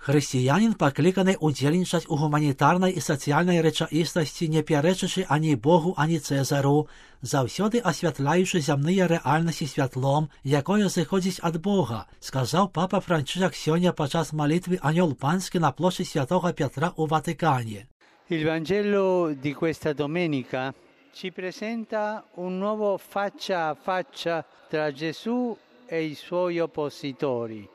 Хрысціянін пакліканы ўдзельнічаць у гуманітарнай і сацыяльнай рэчаіснасці, не пярэчачы ані Богу, ані Цэзару, заўсёды асвятляючы зямныя рэальнасці святлом, якое зыходзіць ад Бога, сказаў папа Франчышак сёння падчас малітвы «Анёл панскі» на плошчы Святога Пятра ў Ватыкане. Il Vangelo di questa domenica ci presenta un nuovo faccia a faccia tra Gesù e i suoi oppositori.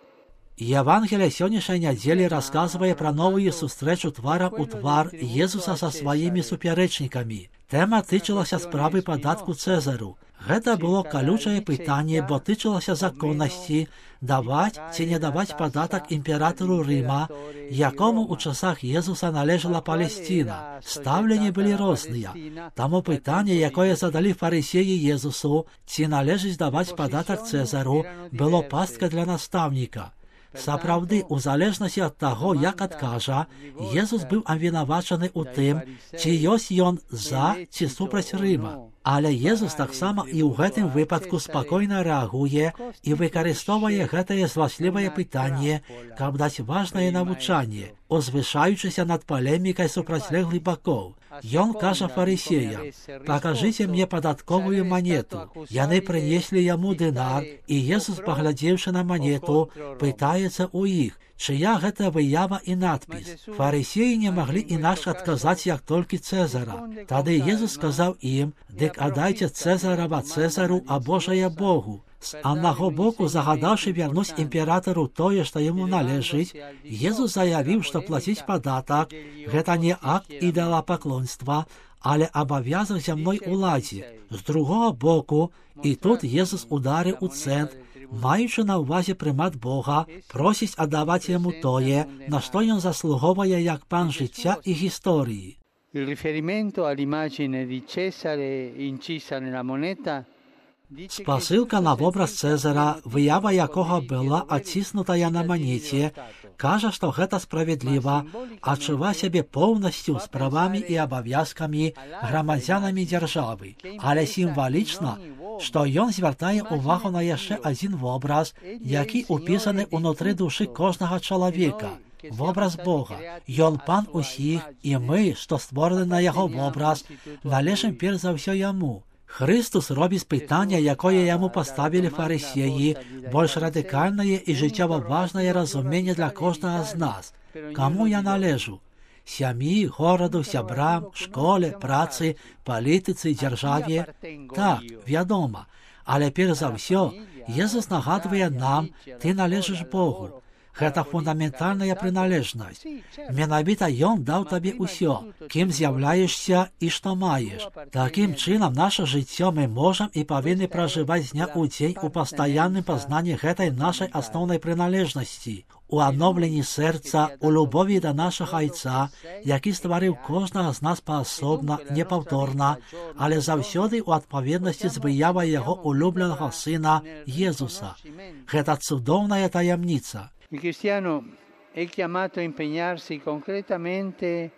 Евангелие сённяшняй нядзелі расказвае пра новую сустрэчу тварам у твар Езуса са сваімі супярэчнікамі. Тэма тычылася справы падатку Цэзару. Гэта было калючае пытанне, бо тычылася законнасці, даваць ці не даваць падатак імператару Рыма, якому ў часах Езуса належала Палесціна. Стаўленні былі розныя. Таму пытанне, якое задалі фарысеі Езусу, ці належыць даваць падатак Цэзару, было пасткай для настаўніка. Сапраўды, у залежнасці ад таго, як адкажа, Езус быў абвінавачаны ў тым, ці ёсць ён за ці супраць Рыма. Але Езус таксама і ў гэтым выпадку спакойна рэагуе і выкарыстоўвае гэтае зласлівае пытанне, каб даць важнае навучанне, узвышаючыся над палемікай супрацьлеглых бакоў. Ён кажа фарысеям: «Пакажыце мне падатковую манету». Яны прынеслі яму дынар, і Езус, паглядзеўшы на манету, пытаецца ў іх, чыя гэта выява і надпіс. Фарысеі не маглі інакш адказаць, як толькі Цэзара. Тады Езус сказаў ім: «Дык аддайце Цэзарава Цэзару, а Божае Богу». З аднаго боку, загадаўшы вярнуць імператару тое, што яму належыць, Езус заявіў, што плаціць падатак – гэта не акт ідалапаклонства, але абавязак зямной уладзе. З другога боку, і тут Езус ударыў у цэнт, маючы на ўвазе прымат Бога, просіць аддаваць яму тое, на што ён заслуговае як пан жыцця і гісторыі. Il riferimento all'immagine di Cesare incisa nella moneta Спасылка на вобраз Цэзара, выява якога была адціснутая на манеце, кажа, што гэта справядліва, адчува сябе поўнасцю з правамі і абавязкамі грамадзянамі дзяржавы. Але сімвалічна, што ён звяртае ўвагу на яшчэ адзін вобраз, які ўпісаны ўнутры душы кожнага чалавека. Вобраз Бога. Ён пан усіх, і мы, што створаны на яго вобраз, належым перш за ўсё яму. Христус робіць пытанне, якое яму паставілі фарысеі, больш радыкальнае і жыццёва важнае разуменне для кожнага з нас. Каму я належу? Сям'і, гораду, сябрам, школе, працы, палітыцы, дзяржаве? Так, вядома. Але перш за ўсё, Езус нагадвае нам: ты належыш Богу. Гэта фундаментальная прыналежнасць. Менавіта ён даў табе ўсё, кім з'яўляешся і што маеш. Такім чынам, наша жыццё мы можам і павінны пражываць з дня ў дзень у пастаянным пазнанні гэтай нашай асноўнай прыналежнасці, у адноўленні сэрца, у любові да нашага Айца, які стварыў кожнага з нас паасобна, непаўторна, але заўсёды ў адпаведнасці з выявай яго улюбленага сына Езуса. Гэта цудоўная таямніца. Il cristiano è chiamato a impegnarsi concretamente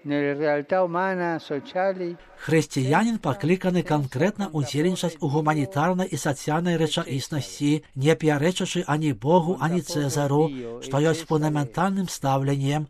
nelle realtà umana, sociali. Хрысціянін пакліканы канкрэтна ўдзельнічаць у гуманітарнай і сацыяльнай рэчаіснасці, не пярэчачы ані Богу, ані Цэзару, што ёсць фундаментальным стаўленнем,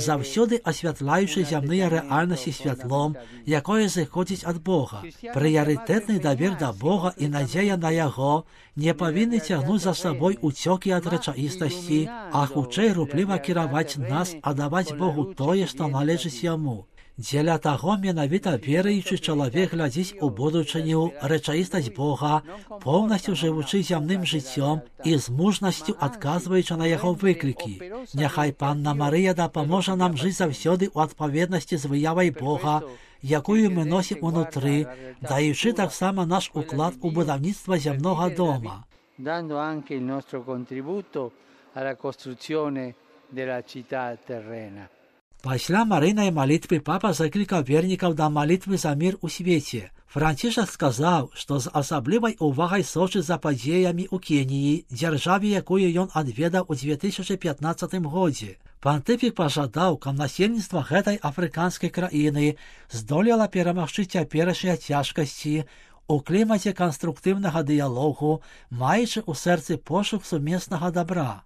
заўсёды асвятляючы зямныя рэальнасці святлом, якое зыходзіць ад Бога. Прыярытэтны давер да Бога і надзея на яго не павінны цягнуць за сабой уцёкі ад рэчаіснасці, а хутчэй рупліва кіраваць нас, аддаваць Богу тое, што належыць яму. Дзеля таго менавіта веруючы чалавек глядзіць у будучыню, рэчаіснасць Бога, поўнасцю жывучы зямным жыццём і з мужнасцю адказваючы на яго выклікі. Няхай Панна Марыя дапаможа нам жыць заўсёды ў адпаведнасці з выявай Бога, якую мы носім унутры, даючы таксама наш уклад у будаўніцтва зямнога дома. Dando anche il nostro contributo alla costruzione della città terrena. Пасля марыйнай малітвы папа заклікаў вернікаў да малітвы за мір у свеце. Францішак сказаў, што з асаблівай увагай сочыць за падзеямі ў Кеніі, дзяржаве, якую ён адведаў у 2015 годзе. Пантыфік пажадаў, каб насельніцтва гэтай афрыканскай краіны здолела перамагчы цяперашнія цяжкасці у клімаце канструктыўнага дыялогу, маючы ў сэрцы пошук сумеснага дабра.